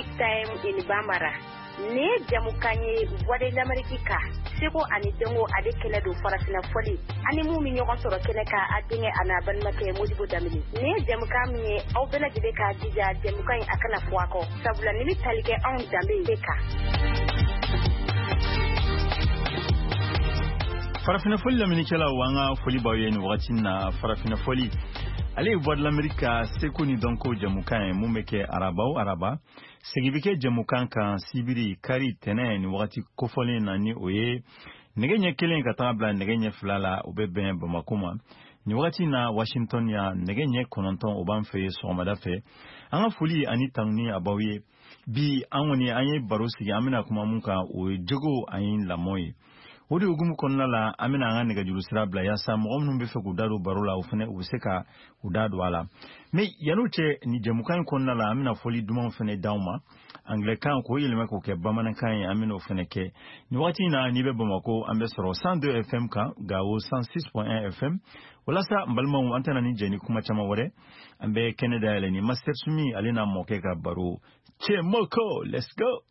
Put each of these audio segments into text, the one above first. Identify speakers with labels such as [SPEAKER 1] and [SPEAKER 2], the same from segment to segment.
[SPEAKER 1] Music Time in Bambara. Nin ye jamukan ye Voix de l'Amérique kan, seko ani dɔnko ale kɛnɛ don, farafinna fɔli ani mun bɛ ɲɔgɔn sɔrɔ kɛnɛ kan, a denkɛ a n'a balimakɛ Modibo Danbele. Nin ye jamukan min ye, aw bɛɛ lajɛlen k'a jija jamukan in a kana fɔ a kɔ, sabula nin bɛ tali kɛ anw danbe de kan.
[SPEAKER 2] Farafinna fɔli lamɛnnikɛlaw, an ka foli b'aw ye nin wagati na. Farafinna fɔli ale ye Voix de l'Amérique ka seko ni dɔnko jamukan ye, mun bɛ kɛ araba o araba. Segin bɛ kɛ jamukan kan sibiri, kari, tɛnɛ nin wagati kofɔlen na, ni o ye nɛgɛ ɲɛ 1 ka taga bila nɛgɛ ɲɛ 2 la, o bɛ bɛn Bamako ma. Nin wagati na Washington yan, nɛgɛ ɲɛ 9 o b'an fɛ yen sɔgɔmada fɛ. An ka foli ani tanuni a b'aw ye. Bi an kɔni an ye baro sigi, an bɛna kuma mun kan, o ye jogo ani lamɔ ye. O de hukumu kɔnɔna la, an bɛna an ka nɛgɛjuru sira bila yaasa mɔgɔ minnu bɛ fɛ k'u da don baro la, o fana u bɛ se ka u da don a la. Mais yan'o cɛ, nin jɛmukan in kɔnɔna la, an bɛna fɔli dumanw fana d'aw ma angilɛkan k'o yɛlɛma k'o kɛ bamanankan ye, an bɛna o fana kɛ. Nin wagati in na, n'i bɛ Bamakɔ, an bɛ sɔrɔ 102 FM kan, Gawo 106.1 FM. Walasa n balimaw, an tɛna ni jɛ ni kuma caman wɛrɛ, an bɛ kɛnɛ dayɛlɛ ni Master Sumi ale n'a mɔkɛ ka baro. Cɛmɔkɔ, let's go.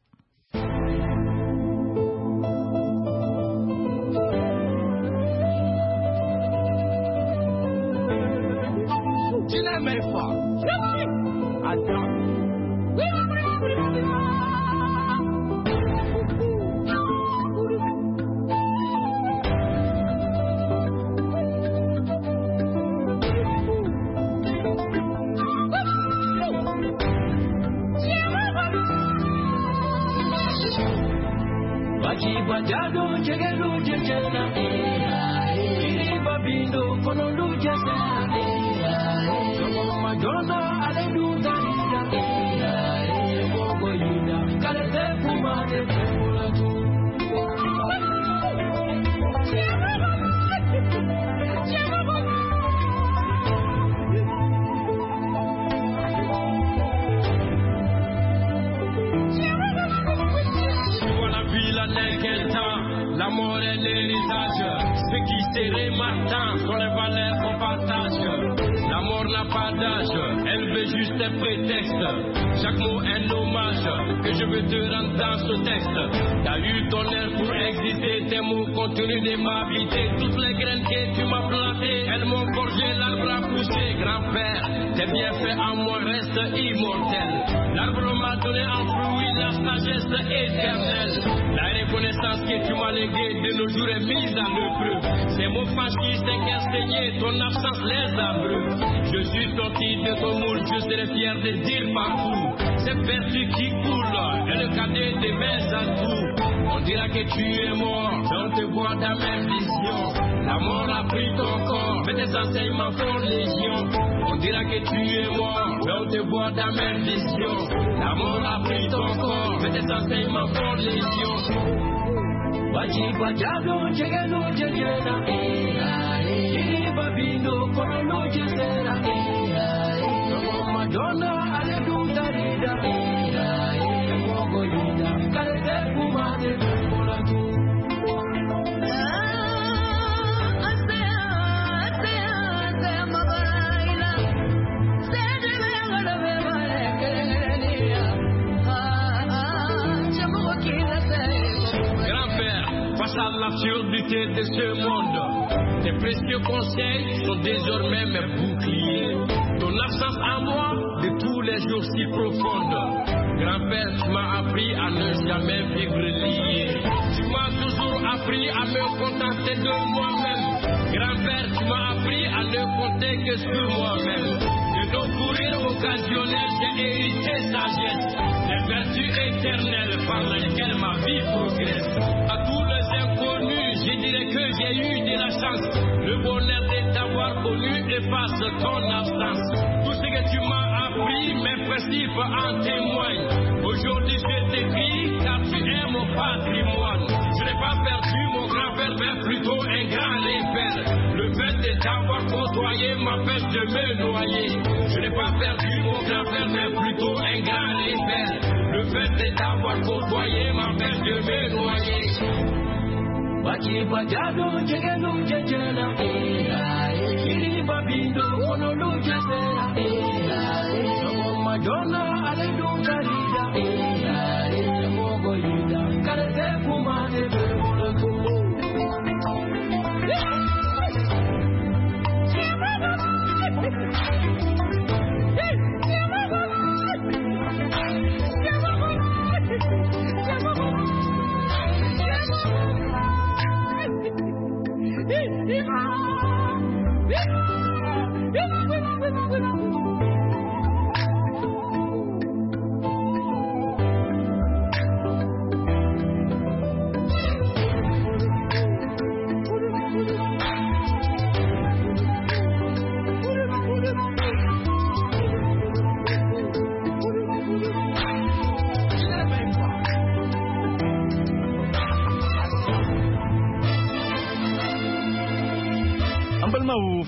[SPEAKER 3] De ce monde, tes précieux conseils sont désormais mes boucliers. Ton absence à moi de tous les jours si profonde. Grand-père, tu m'as appris à ne jamais vivre lié. Tu m'as toujours appris à me contenter de moi-même. Grand-père, tu m'as appris à ne compter que sur moi-même. De nos courriers occasionnels, j'ai hérité sagesse, les vertus éternelles par lesquelles ma vie progresse. À tous les inconnus, je dirais que j'ai eu de la chance. Le bonheur de t'avoir connu efface ton absence. Tout ce que tu m'as appris, mes principes en témoignent. Aujourd'hui, je t'écris car tu es mon patrimoine. Je n'ai pas perdu mon grand-père, mais plutôt un grand repère. Le fait de t'avoir côtoyé m'empêche de me noyer. Je n'ai pas perdu mon grand-père, mais plutôt un grand repère. Le fait de t'avoir côtoyé m'empêche de me noyer.
[SPEAKER 4] Madonna, ale dun karida.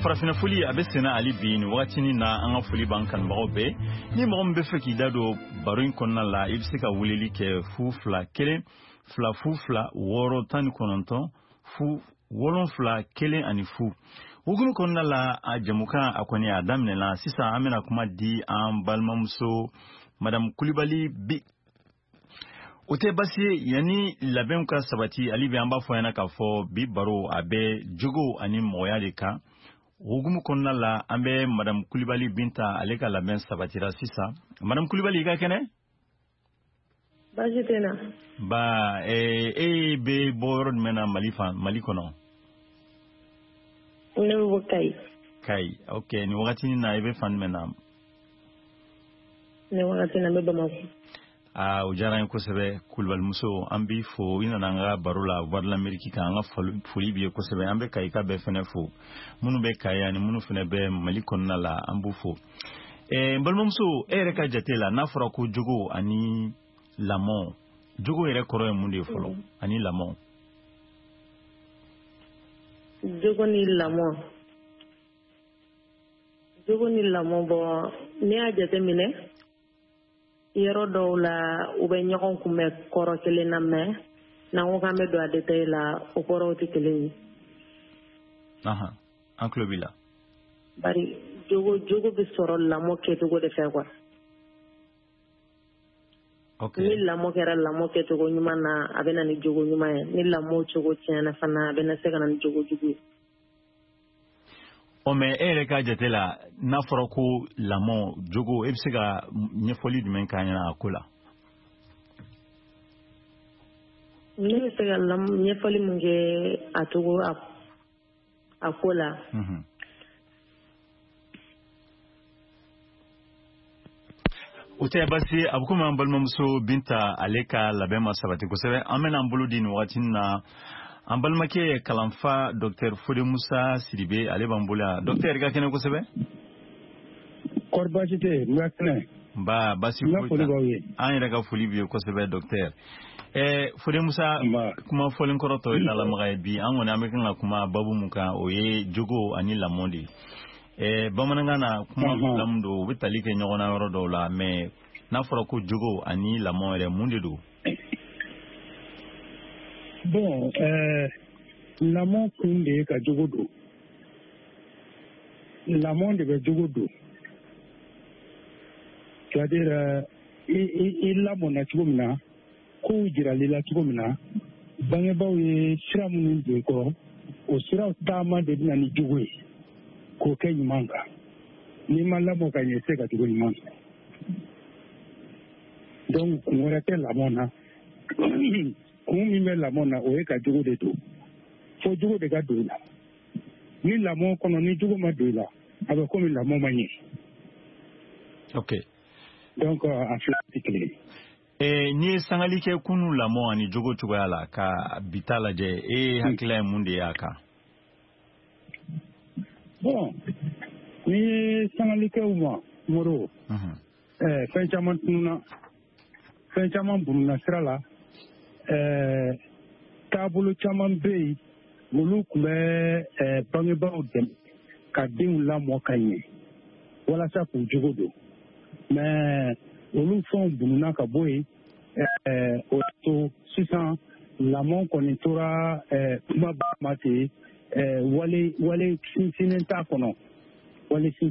[SPEAKER 2] Farafina foli a bɛ senna hali bi nin wagatinin na. An ka foli b'an kanubagaw bɛɛ. Ni mɔgɔ min bɛ fɛ k'i da don baro in kɔnɔna la, i bɛ se ka weleli kɛ 0 2 1 2 0 2 6 19 0 7 1 0. Hukumu kɔnɔna la, a jamukan a kɔni a daminɛna sisan. An bɛna kuma di an balimamuso Madame Kulibali bi. O tɛ basi ye, yanni labɛnw ka sabati hali bi, an b'a fɔ ɲɛna k'a fɔ bi baro a bɛ jogo ani mɔgɔya de kan. Hukumu kɔnɔna la, an bɛ Madame Kulibali Binta, ale ka labɛn sabatira sisan. Madame Kulibali, i ka kɛnɛ?
[SPEAKER 4] Baasi tɛ na.
[SPEAKER 2] Ba e bɛ bɔ yɔrɔ jumɛn na Mali fan, Mali kɔnɔ?
[SPEAKER 4] Ne bɛ bɔ Kayi.
[SPEAKER 2] Kayi, ok. Nin wagati na, i bɛ fan jumɛn na?
[SPEAKER 4] Nin wagati na, n bɛ Bamakɔ.
[SPEAKER 2] Aa, o diyara n ye kosɛbɛ. Kulubalimuso, an b'i fo i nana an ka baro la Voix de l'Amérique kan. An ka foli b'i ye kosɛbɛ. An bɛ Kayika bɛɛ fɛnɛ fo, minnu bɛ Kayi ani minnu fɛnɛ bɛ Mali kɔnɔna la, an b'u fo. N balimamuso, e yɛrɛ ka jate la, n'a fɔra ko jogo ani lamɔ, jogo yɛrɛ kɔrɔ ye mun de ye fɔlɔ, ani lamɔ?
[SPEAKER 4] Jogo ni lamɔ, jogo ni lamɔ, bɔn, n'i y'a jateminɛ, yɔrɔ dɔw la u bɛ ɲɔgɔn kunbɛn kɔrɔ kelen na, mɛ n'an ko k'an bɛ don a détail la, o kɔrɔw tɛ kelen ye.
[SPEAKER 2] An tulo b'i la.
[SPEAKER 4] Bari jogo bɛ sɔrɔ lamɔ kɛcogo de fɛ quoi. Ni lamɔ kɛra lamɔ kɛcogo ɲuman na, a bɛ na ni jogo ɲuman ye. Ni lamɔ cogo tiɲɛna fana, a bɛ na se ka na ni jogo jugu ye.
[SPEAKER 2] Ɔ, mɛ e yɛrɛ ka jate la, n'a fɔra ko lamɔ, jogo, e bɛ se ka ɲɛfɔli jumɛn k'an ɲɛna a ko la?
[SPEAKER 4] Ne bɛ se ka ɲɛfɔli mun kɛ a cogo a ko la?
[SPEAKER 2] O tɛ basi ye. A bɛ komi an balimamuso Binta, ale ka labɛn ma sabati kosɛbɛ. An bɛna an bolo di nin wagati na an balimakɛ kalanfa Docteur Fode Musa Sidibe, ale b'an bolo yan. Docteur, i ka kɛnɛ kosɛbɛ.
[SPEAKER 5] Kɔri baasi tɛ yen, n ka kɛnɛ.
[SPEAKER 2] Nba, baasi
[SPEAKER 5] N ka foli b'aw ye.
[SPEAKER 2] An yɛrɛ ka foli b'i ye kosɛbɛ, docteur. Fode Musa, kuma fɔlen kɔrɔ tɔ ye lalamaga ye. Bi an kɔni an bɛ kan ka kuma babu mun kan, o ye jogo ani lamɔ de ye. Bamanankan na, kuma fila min don, u bɛ tali kɛ ɲɔgɔn na yɔrɔ dɔw la, mais n'a fɔra ko jogo ani lamɔ yɛrɛ, mun de don?
[SPEAKER 5] Bon, lamɔ kun de ye ka jogo don. Lamɔ de bɛ jogo don. C'est-à-dire, i lamɔna cogo min na, kow jiral'i la cogo min na, bangebaaw ye sira minnu don i kɔrɔ, o siraw taama de bɛ na ni jogo ye k'o kɛ ɲuman kan. N'i ma lamɔ ka ɲɛ, i tɛ se ka jogo ɲuman sɔrɔ. Donc kun wɛrɛ tɛ lamɔ na. Kun min bɛ lamɔ na, o ye ka jogo de don. Fo jogo de ka don i la. Ni lamɔ kɔnɔ, ni jogo ma don i la, a bɛ komi lamɔ ma ɲɛ. Donc a fila tɛ kelen ye.
[SPEAKER 2] N'i ye sangali kɛ kunu lamɔ ani jogo cogoya la ka bi ta lajɛ, e hakilila ye mun de ye a kan?
[SPEAKER 5] Bon, n'i ye sangali kɛ u ma, Moro, fɛn caman tununa, fɛn caman bununa sira la. Taabolo caman bɛ yen, olu tun bɛ bangebaaw dɛmɛ ka denw lamɔ ka ɲɛ walasa k'u jogo don, mais olu fɛnw bununa ka bɔ yen. O y'a to sisan lamɔ kɔni tora kumaba ma ten, wale sinsinnen t'a kɔnɔ, wale sinsin